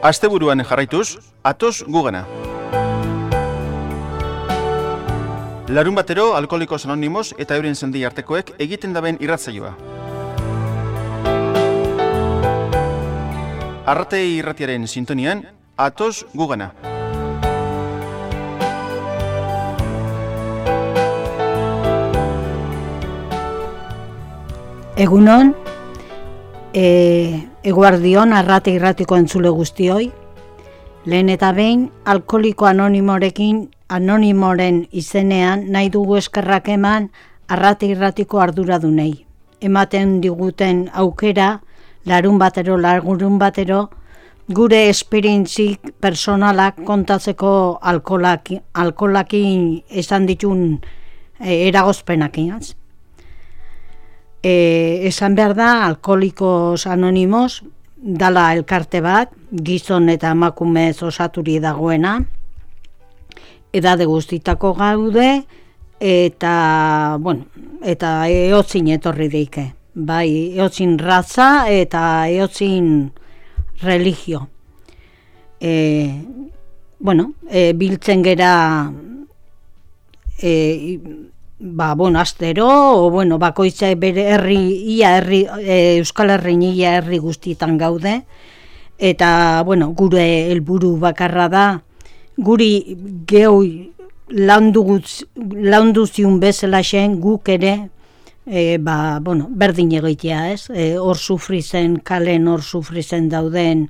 Asteburuan jarraituz, atoz gugana. Larun batero, Alkoholikos Anonimos eta euren zendi artekoek egiten daben irratzaioa. Arratei irratiaren sintonian, atoz gugana. Egunon, eguardion arrate irratiko entzule guztioi. Lehen eta behin, Alkoholiko Anonimoren izenean nahi dugu eskerrak eman arrate irratiko arduradunei. Ematen diguten aukera, larun batero, gure esperientzik personalak kontatzeko alkoholakin esan ditun eragozpenakin. Esan behar da, Alkoholikos Anonimos dala elkarte bat, gizon eta emakumez osaturi dagoena, edade guztitako gaude, eta eotzin etorri deike. Bai, eotzin raza eta eotzin religio. Biltzen gera astero, bakoitza bere Euskal Herrin ia herri guztietan gaude, eta, gure helburu bakarra da, guri geu laundu ziun bezala xen guk ere, berdin egitea, ez? Hor sufrizen, kalen hor sufrizen dauden,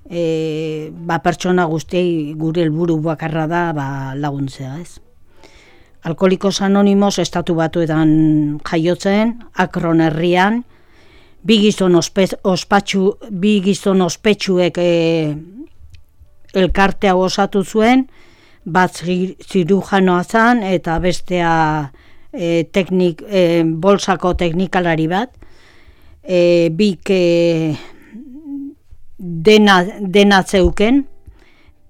pertsona guztiei gure helburu bakarra da laguntzea, ez? Alkoholikos Anonimos estatu batuetan jaiotzen, Akron herrian, bi gizon ospetsuek elkartea osatu zuen, bat zirujanoa zen eta bestea bolsako teknikalari bat, bik dena zeuken,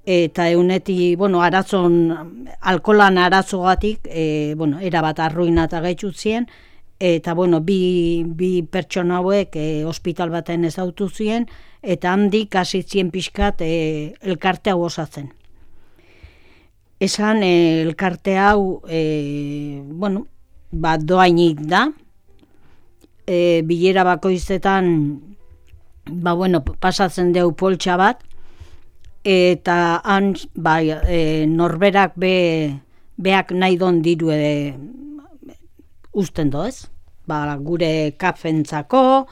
eta euneti, alkoholan arazogatik, erabat arruinata gaitut zien, eta, bi pertsona hauek ospital baten ezautu zien, eta handik hasi zien pixkat elkarte hau osatzen. Esan elkarte hau, doainik da, bilera bakoizetan, pasatzen deu poltsa bat, eta han norberak beak nahi don diru usten doez. Gure kafentzako,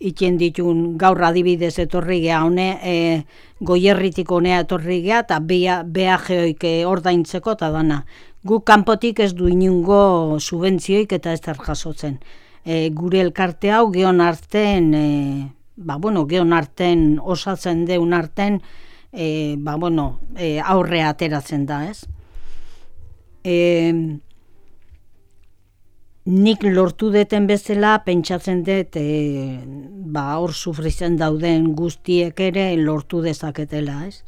itxen ditun gaur adibidez etorri geha goierritik honea etorri geha, eta beajeoik ordaintzeko eta dana. Guk kanpotik ez du inungo subentzioik eta ez jasotzen. Gure elkarte hau geon arten, geon arten osatzen deun arten, aurrea ateratzen da, ez? Nik lortu deten bezala, pentsatzen dut, hor sufrizen dauden guztiek ere lortu dezaketela, ez?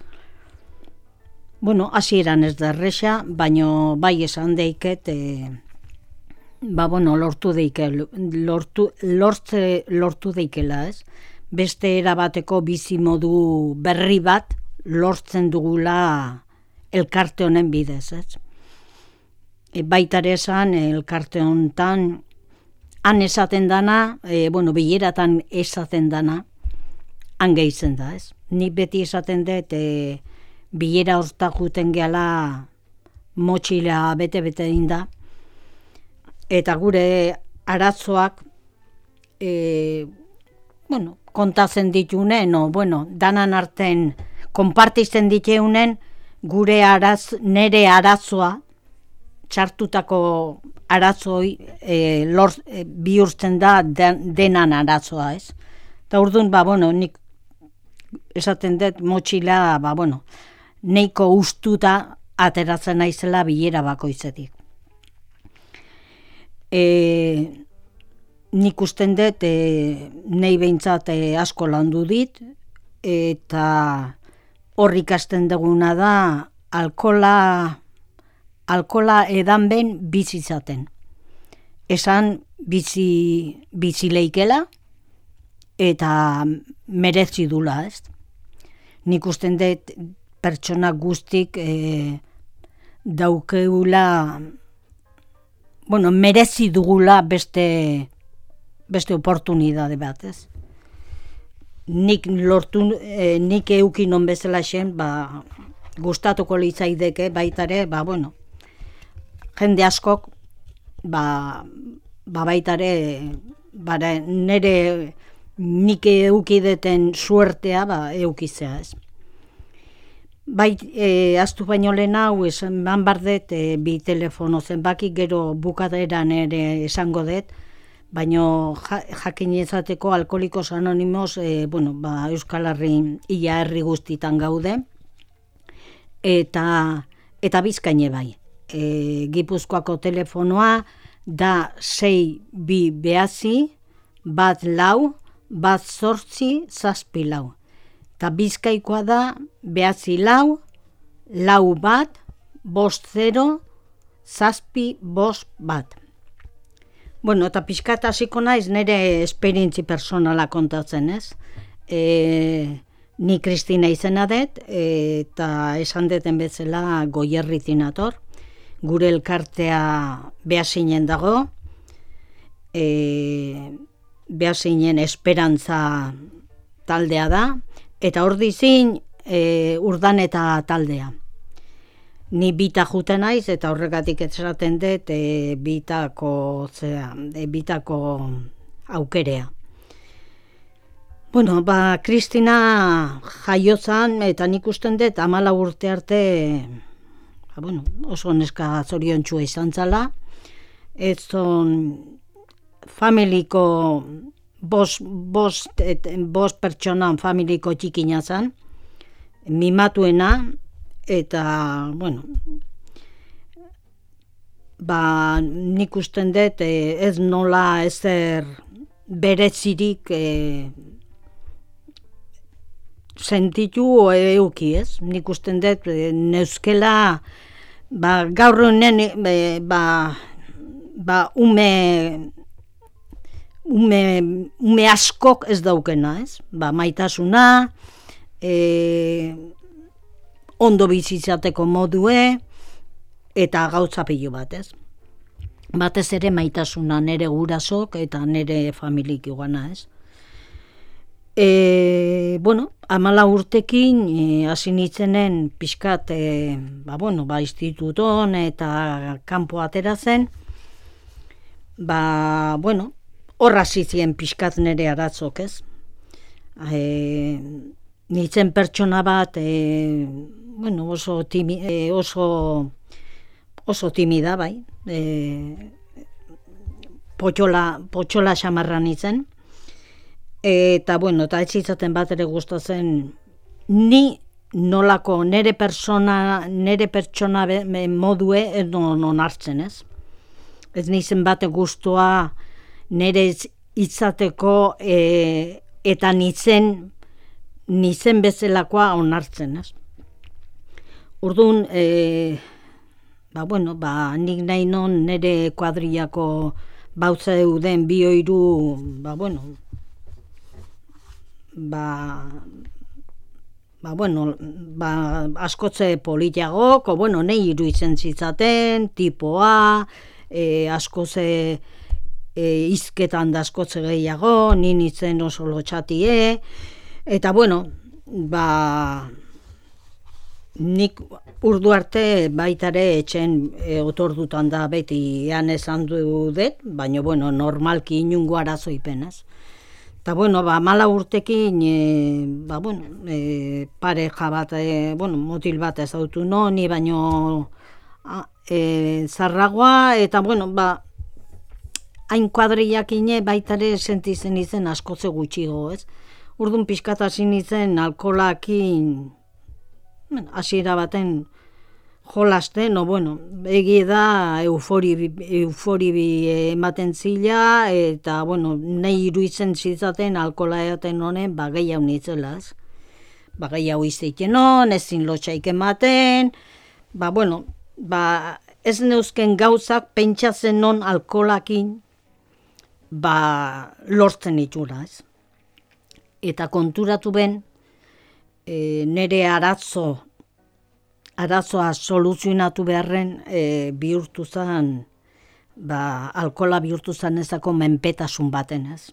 Hasieran ez da erresa, baina bai esan deiket, lortu deikela, ez? Beste erabateko bizimodu berri bat lortzen dugula elkarte honen bidez, ez? Baitare esan elkarte honetan han esaten dana, bileratan esaten dana, han gehitzen da, ez? Nik beti esaten dut, bilera horta juten gehala motxila bete-bete dinda, eta gure arazoak, kontatzen ditunen, danan arten konpartitzen diteunen, nere arazoa, txartutako arazoi bihurtzen da denan arazoa, ez? Eta orduan, nik esaten dut motxila, neiko ustuta ateratzen naizela bilera bakoitzetik. Nik usten dut, nahi behintzat asko landu dit, eta hor ikasten duguna da alkohola edan ben bizizaten. Esan bizi leikela eta merezi dula, ez? nik usten dut pertsona guztik daukeula, merezi dugula beste oportunidade bat, ez? Nik eukin on bezala xen, gustatuko litzaideke baitare, jende askok, baitare, nire nik eukideten suertea, eukizea, ez? Aztu baino lehen hau, esan bardet, bi telefono zenbaki, gero bukaderan ere esango dut, baino jakin ezateko Alkoholikos Anonimos, Euskal Herri, ia herri guztitan gaude, eta Bizkaine bai. Gipuzkoako telefonoa da 629-14-7 eta Bizkaikoa da 94-50-7 eta pixkat hasiko naiz nire esperientzi personala kontatzen, ez? Ni Kristina izena dut, eta esan deten bezala Goierritik nator. Gure elkartea Beasainen dago, Beasainen Esperantza taldea da, eta hor dizin Urdaneta taldea. Ni bita juten naiz, eta horregatik esaten dut bitako aukerea. Kristina jaiozan, eta nik usten dut 14 urte arte oso neska zoriontsua izan zala. Ez zon familiko bost pertsonan familiko txikina zan, mimatuena, eta, nik usten dut ez nola ezer berezirik sentitu euki, ez? Nik usten dut neuskela gaur honen ume askok ez daukena, ez? Maitasuna, ondo bizitzateko modue, eta gauza pilo bat, ez? Batez ere maitasuna nere gurasok eta nere familik iguana, ez? 14 urtekin hasi nintzenen pixkat instituton eta kanpo atera zen, hor hasi ziren pixkat nere aratzok, ez? Nintzen pertsona bat oso timida, bai, potxola xamarra nintzen, eta ez zitzaten bat ere gustatzen ni nolako nere pertsona modue non hartzen, ez? Ez nintzen bat gustua nere itzateko eta nintzen bezalakoa onartzen, ez? Orduan, nik nahi non nere kuadrillako bautza euden bi oiru, askotze politiagok, nahi iruditzen zitzaten, tipoa, askotze izketan da askotze gehiago, ninitzen oso lotxatie, eta nik urdu arte baitare etxen otordutan da beti ean esan dut, baina normalki inungo arazoipen, ez? Eta 14 urtekin pareja bat, motil bat ezautu noni, baino zarragoa, eta hain kuadriakine baitare sentitzen izen askotze gutxigo, ez? Urdun pixkat hasi nintzen alkolakin hasiera baten jolasten, egi da eufori ematen zila, eta nahi iruditzen zitzaten alkola edaten honen gehiago nitzela, ez? Gehiago izteiten hon, ezin lotxaik ematen, ez neuzken gauzak pentsatzen non alkolakin lortzen itxura, ez? Eta konturatu ben, nire arazoa soluzionatu beharren bihurtu zen, alkola bihurtu zen ezako menpetasun baten, ez.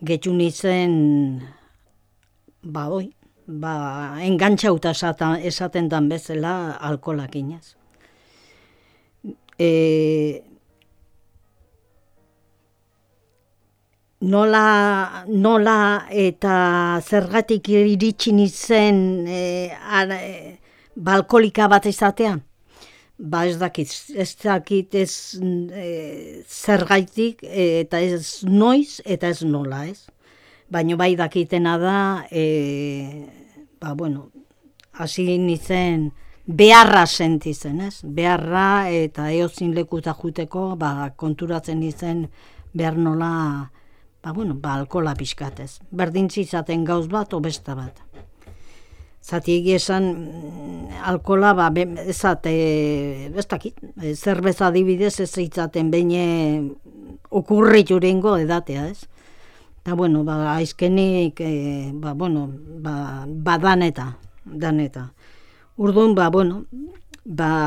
Getxu nintzen, engantxauta esaten dan bezala alkolakin, ez. Nola eta zergatik iritsi nintzen alkolika bat izatea? Ez dakit zergaitik eta ez noiz eta ez nola, ez. Baina bai dakitena da, hasi nintzen beharra sentitzen, ez? Beharra eta eozin lekuta juteko, konturatzen nintzen behar nola, alkola pixkatez. Berdintzi izaten gauz bat, o besta bat. Zati esan alkola, ez dakit, zerbeza adibidez ez itzaten behin okurritu rengo edatea, ez? Eta, aizkenik, daneta. Urduan,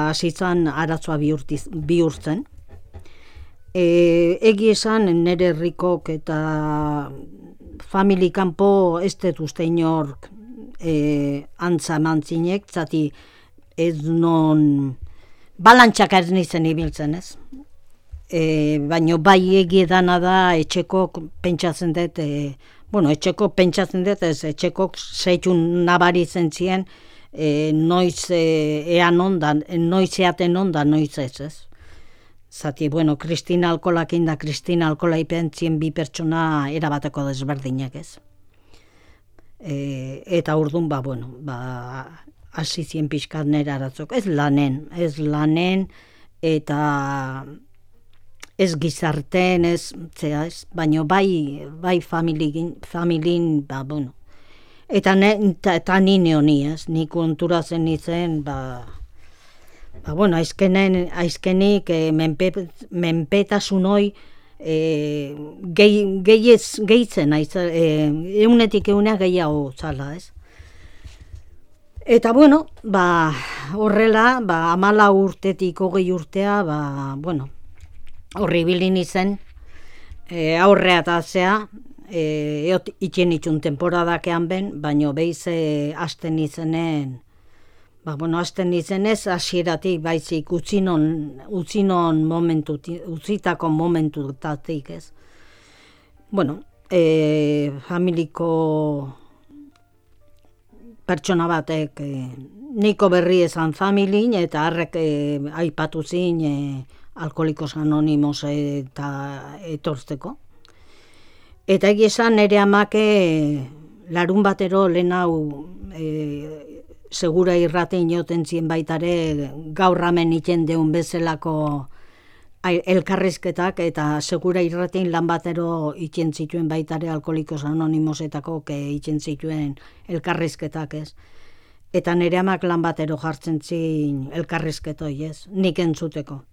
asitzen arazoa bihurtzen. Egi esan nire herrikok eta familikanpo ez dut uste inork antza mantzinek, zati ez non balantxak ez nizen ibiltzen, ez? Baina bai egiedana da etxekok pentsatzen dut, etxekok zeitun nabaritzen ziren, noiz eaten onda, noiz ez. Zati, Kristina alkolakin da Kristina alkola ipentzien bi pertsona erabateko desberdinak, ez. Eta urduan, hasi zien pixkat nera aratzok. Ez lanen, eta ez gizarten, baina bai familin, eta nine honi, ez, nik konturatzen nintzen, aizkenik menpetasun hoi gehitzen, eunetik eunea gehiago zala, ez. Eta horrela, 14 urtetik 20 urtea, horri bilin izen, aurrea tatzea, itxen itxun temporadakean ben, baina behiz hasten izenen, hasten izenez, hasieratik baizik utzinon utzitako momentutatik, ez. Familiko pertsona batek niko berri esan familin, eta harrek aipatu zin Alkolikos Anonimos eta etorzteko. Eta esan nire amake larun batero lehen hau segura irratein joten zien baitare gaur hemen iten deun bezalako elkarrizketak, eta segura irratein lan batero iten zituen baitare Alkolikos Anonimosetako iten zituen elkarrizketak, ez. Eta nire amak lan batero jartzen zin elkarrizketoi, ez, nik entzuteko.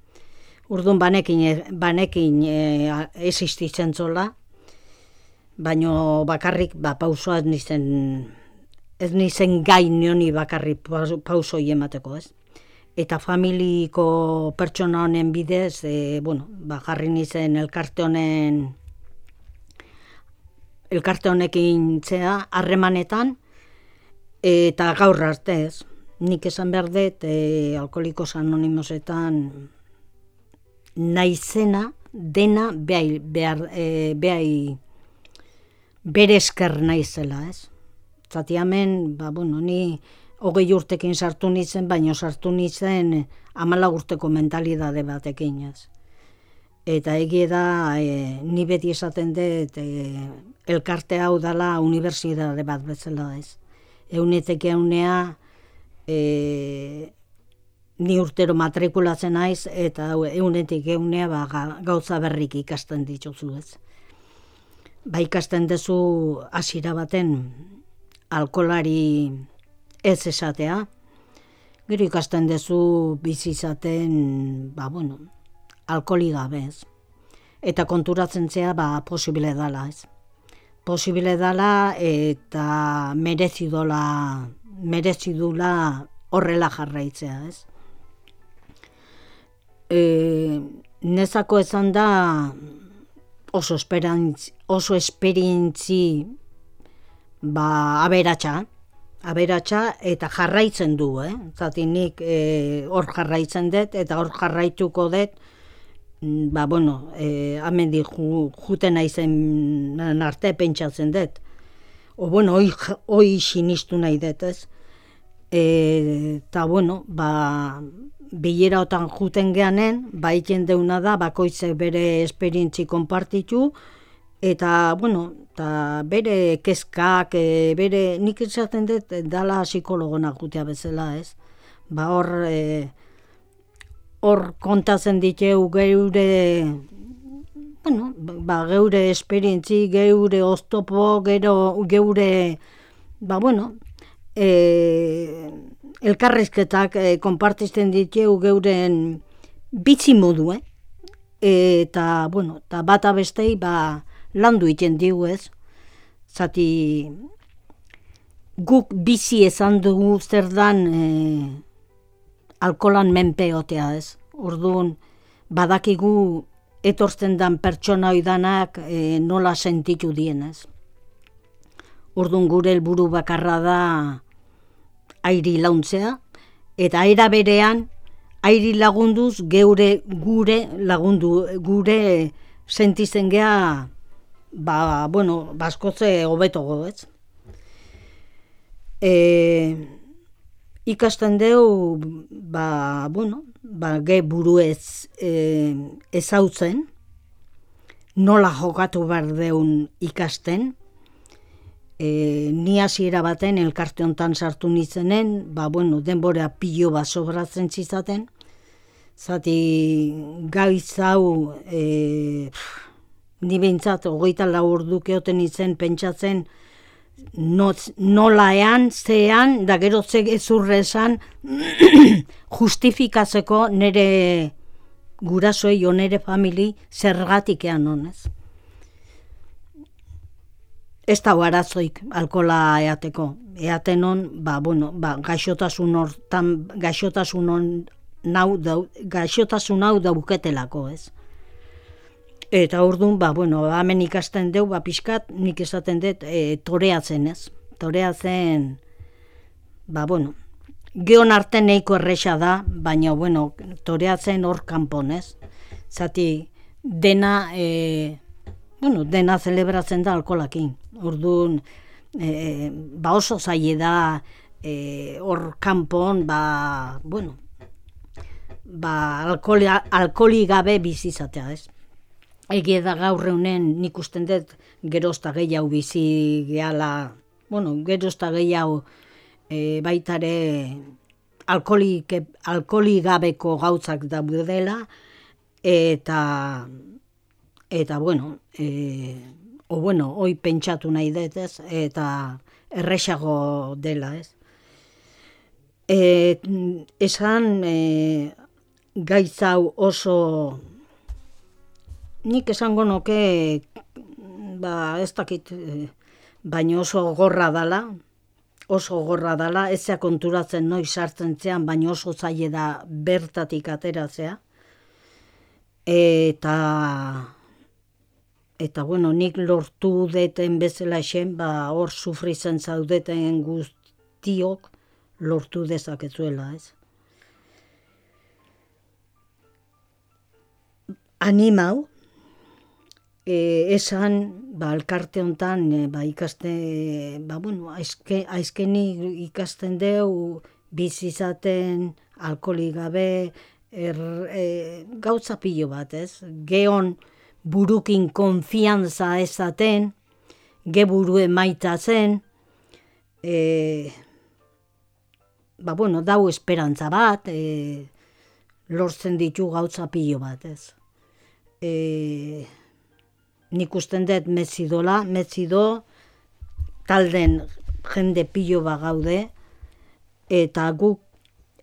Urduan banekin existitzen zola, baino bakarrik pausoa ez nizen gai nioni bakarrik pausoi emateko, ez. Eta familiko pertsona honen bidez, jarri nizen elkarte honekin zea harremanetan, eta gaur arte, ez. Nik esan behar dut, Alkolikos Anonimosetan naizena dena bere esker naizela, ez. Zati hemen, ni 20 urtekin sartu nintzen, baina sartu nintzen 14 urteko mentalidade batekin, ez. Eta egie da, ni beti esaten dut, elkarte hau dela unibertsitate bat bezala, ez. Eunetek eunea, ni urtero matrikulatzen naiz, eta eunetik eunea gauza berrik ikasten dituzu, ez. Ikasten duzu hasiera baten alkolari ez esatea, gero ikasten duzu bizi izaten, alkoli gabe, ez. Eta konturatzen zea, posible dala, ez. posible dala eta merezi dula horrela jarraitzea, ez? Nezako esan da oso esperientzi aberatsa eta jarraitzen du, Zati nik hor jarraitzen dut eta hor jarraituko dut, amendik juten naizen arte pentsatzen dut. Hoi sinistu nahi dut, ez? Eta, bilerotan juten geanen, egiten deuna da, bakoitzek bere esperientzi konpartitu, eta, bere kezkak, nik esaten dut, dala psikologona jutea bezala, ez? Hor kontatzen ditu geure esperientzi, geure oztopo, geure, elkarrizketak konpartisten ditu geuren bitzi modu, eta, bata bestei, landu iten digu, ez? Zati, guk bizi esan dugu zer dan alkolan menpeotea, ez? Orduan, badakigu etortzen dan pertsona oidanak nola sentitu dien, ez? Orduan, gure helburu bakarra da airi launtzea, eta era berean, airi lagunduz gure sentitzen gea, baskotze hobetogo, ez? Ikasten deu, ge buruez ezautzen, nola jokatu behar deun ikasten, ni hasiera baten elkarte hontan sartu nintzenen, denbora pilo bat sobratzen zizaten, zati gaiz hau ni behintzat 24 orduke oten nintzen pentsatzen nolaean, zean, da gero ezurre esan justifikatzeko nire gurasoei o nire famili zergatikean honez. Ez da arazoik alkola eateko. Eaten hon, gaixotasun hau dauketelako, ez? Eta orduan, hemen ikasten deu, pixkat, nik esaten dut, toreatzen, ez? Toreatzen, geon arte neiko erresa da, baina, toreatzen hor kanpon, ez? Zati, dena zelebratzen da alkolakin. Orduan, oso zaile da, hor kanpon, alkoli gabe bizizatea, ez? Egia da gaur eunen nik usten dut gerozta gehiago bizi gehala, gerozta gehiago baitare alkoli gabeko gautzak daudela, eta hoi pentsatu nahi dut, ez, eta erresago dela, ez. Esan gaitz hau oso, nik esango noke, ez dakit, baina oso gorra dala, ezea konturatzen noiz sartzen zean, baina oso zaila da bertatik ateratzea. Eta nik lortu deten bezala esen, hor sufritzen zaudeten guztiok lortu dezakezuela, ez. Animau, esan, elkarte hontan, ikaste, aizkeni ikasten deu, bizizaten, alkoli gabe, gauza pilo bat, ez? Geon burukin konfiantza ezaten, ge burue maitatzen, dau esperantza bat, lortzen ditu gauza pilo bat, ez? Nik usten dut metzido, talden jende pilo bat gaude, eta guk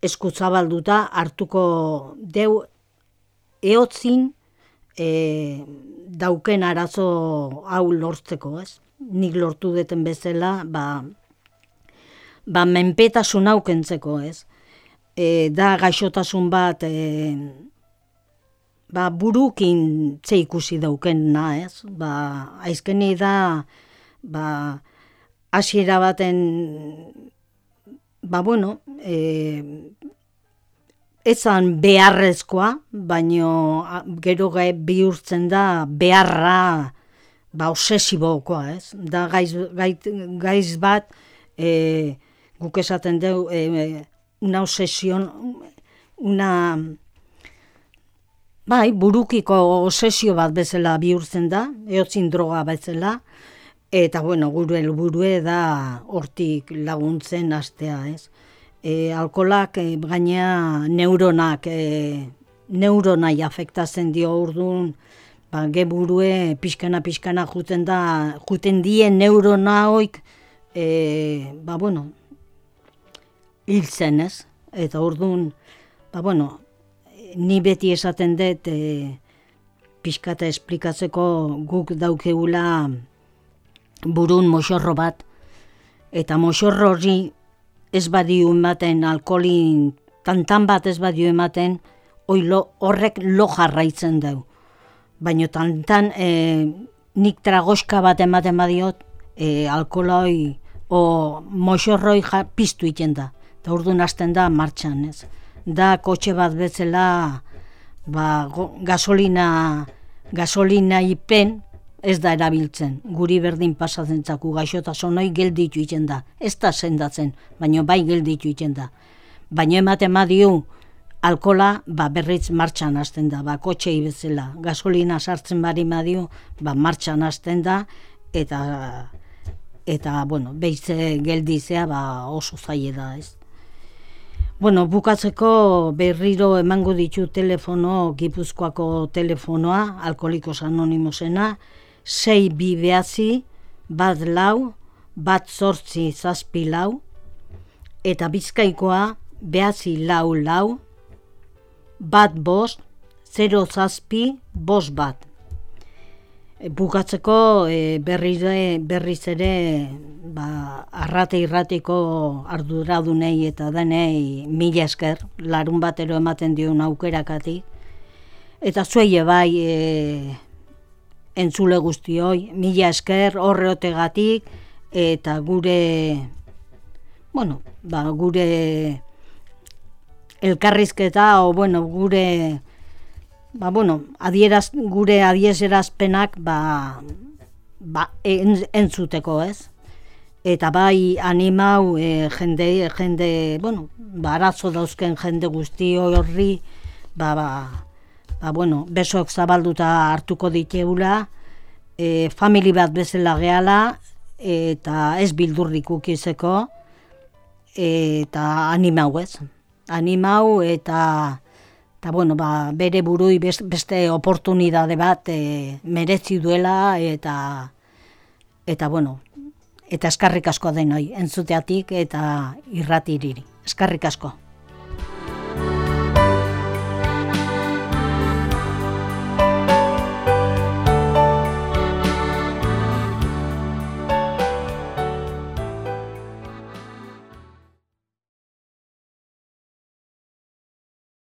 eskutzabalduta hartuko deu eotzin dauken arazo hau lortzeko, ez? nik lortu deten bezala, menpetasun hau kentzeko, ez? Da gaixotasun bat, burukin ze ikusi daukena, ez? Aizkeni da, hasiera baten, ezan beharrezkoa, baino gero bihurtzen da beharra obsesibokoa, ez? Da gaiz bat, guk esaten dugu, una obsesión, burukiko obsesio bat bezala bihurtzen da, eotzin droga bezala, eta gure helburue da hortik laguntzen hastea, ez? Alkoholak gaina neuronai afektatzen dio orduan, geburue pixkana juten dien neurona hoik, hiltzen, ez? Eta orduan, ni beti esaten dut, pixkata esplikatzeko guk daukeula burun moxorro bat, eta moxorro hori ez badio ematen, alkoholin tantan bat ez badio ematen, horrek lo jarraitzen du. Baina tantan nik tragoska bat ematen badiot, alkoholoi o moxorroi piztu iten da. Eta orduan hasten da martxan, ez? Da kotxe bat bezala gasolina ipen ez da erabiltzen. Guri berdin pasatzen zaku gaixotasun hori gelditu iten da. Ez da sendatzen, baina bai gelditu iten da. Baina ematen badiu alkohola berriz martxan hasten da, kotxei bezala. Gasolina sartzen badiu, martxan hasten da, eta behize geldizea oso zaila da, ez? Bukatzeko berriro emango ditu telefono, Gipuzkoako telefonoa, Alkoholikos Anonimosena, 629-4 eta Bizkaikoa 944-15-07-5. Bukatzeko berriz ere arrate irratiko arduradunei eta denei mila esker, larun batero ematen dion aukerakatik. Eta zuei bai entzule guztioi, mila esker horreotegatik eta gure elkarrizketa gure adierazpenak entzuteko, ez? Eta bai animau jende, arazo dauzken jende guzti horri, besoak zabalduta hartuko diteula, famili bat bezala gehala, eta ez bildurrik ukizeko, eta animau, ez? Animau eta bere burui beste oportunidade bat merezi duela eta eskarrik asko denoi entzuteatik eta irratiriri. Eskarrik asko.